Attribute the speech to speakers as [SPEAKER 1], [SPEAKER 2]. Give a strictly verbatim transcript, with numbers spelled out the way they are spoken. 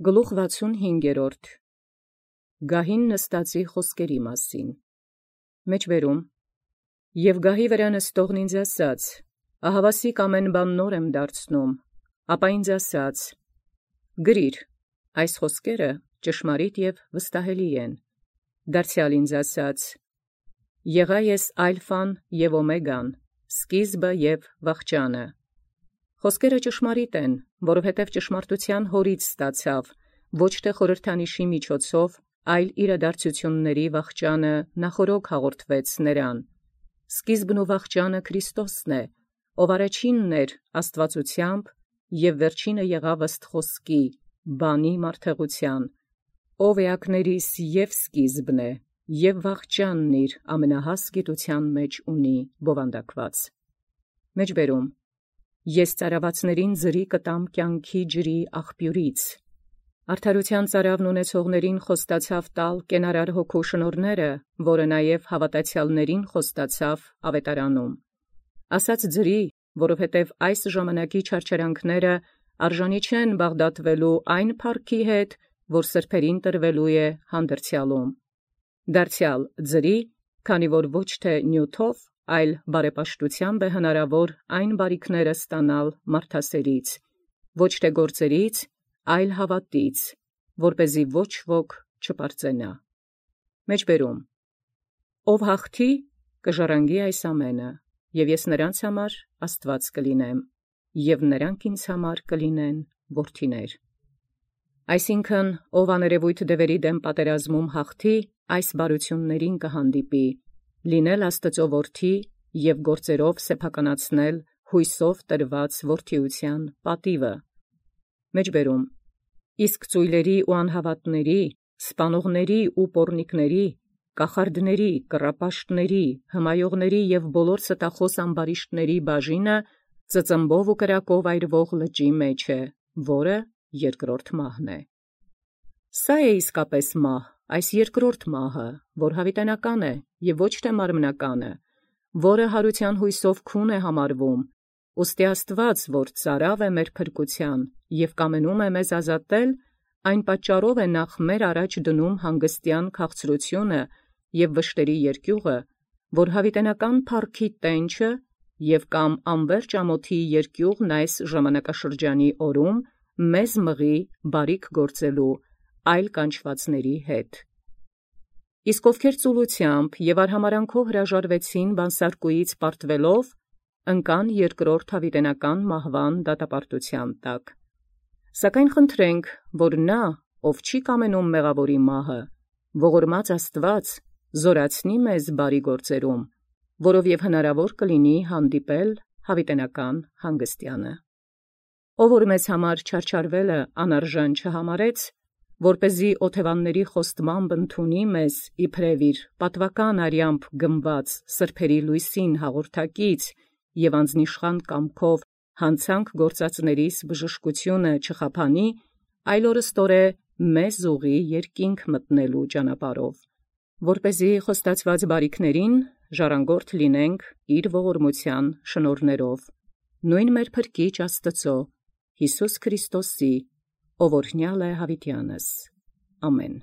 [SPEAKER 1] Գլուխ վաթսունհինգերորդ Գահին նստածի խոսքերի մասին։ Մեջբերում Եւ գահի վրա նստողն ինձ ասաց. ահավասիկ ամեն բան նոր եմ դարձնում, ապա ինձ ասաց. գրիր, այս խոսքերը ճշմարիտ եւ վստահելի են։ Դարձյալ ինձ ասաց. եղա ես ալֆան եւ օմեգան, սկիզբը եւ վախճանը։ Խոսքերը ճշմարիտ են, որովհետև ճշմարտութեան հորից ստացավ, ոչ թե խորհրդանիշի միջոցով, այլ իրադարձությունների վախճանը նախորոք հաղորդվեց նրան։ Սկիզբն ու վախճանը Քրիստոսն է, ով առաջինն էր աստվածությամբ և վերջինը եղավ ըստ խոսքի, բանի մարդեղության, ով էակներիս և սկիզբն է, և վախճանն իր ամենահաս գիտության մեջ ունի բովանդակված։ Մեջբերում Ես ծարավածներին ձրի կտամ կյանքի ջրի աղբյուրից։ Արդարութեան ծարավն ունեցողներին խոստացավ տալ կենարար հոգու շնորհները, որը նաև հավատացյալներին խոստացավ ավետարանում։ Ասաց ձրի, որովհետև այս ժամանակի չարչարանքները արժանի չեն բաղդատվելու այն փառքի հետ, որ սրբերին տրվելու է հանդերձյալում։ Դարձյալ ձրի, քանի որ ոչ թե նյութով, այլ բարեպաշտութեամբ է հնարավոր այն բարիքները ստանալ մարդասերից, ոչ թե գործերից, այլ հավատից, որպեսզի ոչ ոք չպարծենա։ Մեջբերում Ով հաղթի, կժառանգի այս ամենը, և ես նրանց համար Աստված կլինեմ, և նրանք ինձ համար կլինեն որդիներ։ Այսինքն, ով աներևույթ դևերի դեմ պատերազմում հաղթի, այս բարութիւններին կհանդիպի, լինել Աստծո որդի և գործերով սեփականացնել հույսով տրված որդիության պատիվը։ Մեջբերում Իսկ ծոյլերի ու անհավատների, սպանողների ու պոռնիկների, կախարդների, կռապաշտների, հմայողների և բոլոր ստախոս ամբարիշտների բաժինը ծծմբով ու կրակով այրվող լճի մեջ է, որը երկրորդ մահն է։ Սա է իսկապես մահ, այս երկրորդ մահը, որ յաւիտենական է և ոչ թե մարմնականը, որը յարութեան հույսով քուն է համարվում, ուստի Աստուած, որ ծարաւ է մեր փրկութեան և կամենում է մեզ ազատել, այն պատճառով է նախ մեր առաջ դնում հանգստեան քաղցրութիւնը և վշտերի երկիւղը, որ յաւիտենական փառքի տենչը և կամ անվերջ ամոթի երկիւղն այս ժամանակաշրջանի օրում մեզ մղի բարիք գործելու այլ կանչվածների հետ։ Իսկ ովքեր ծուլութեամբ և արհամարհանքով հրաժարվեցին բանսարկուից պարտվելով, ընկան երկրորդ յաւիտենական մահվան դատապարտութեան տակ։ Սակայն խնդրենք, որ նա, ով չի կամենում մեղաւորի մահը, ողորմած Աստուած զորացնի մեզ բարի գործերում, որովև հնարաւոր կլինի հանդիպել յաւիտենական հանգստեանը։ Ով որ մեզ համար չարչարվելը անարժան չհամարեց, որպեսզի օթևանների խոստմամբ ընդունի մեզ իբրև իր պատուական արյամբ գնված սրբերի լույսին հաղորդակից և անձնիշխան կամքով հանցանք գործածներիս բժշկությունը չխափանի, այլ օրըստօրե մեզ ուղղի երկինք մտնելու ճանապարհով, որպեսզի խոստացված բարիքներին ժառանգորդ լինենք իր ողորմութեան շնորհներով, նույն մեր փրկիչ Աստծո, Յիսուս Քրիստոսի, ով օրհնյալ է յաւիտեանս։ Ամեն։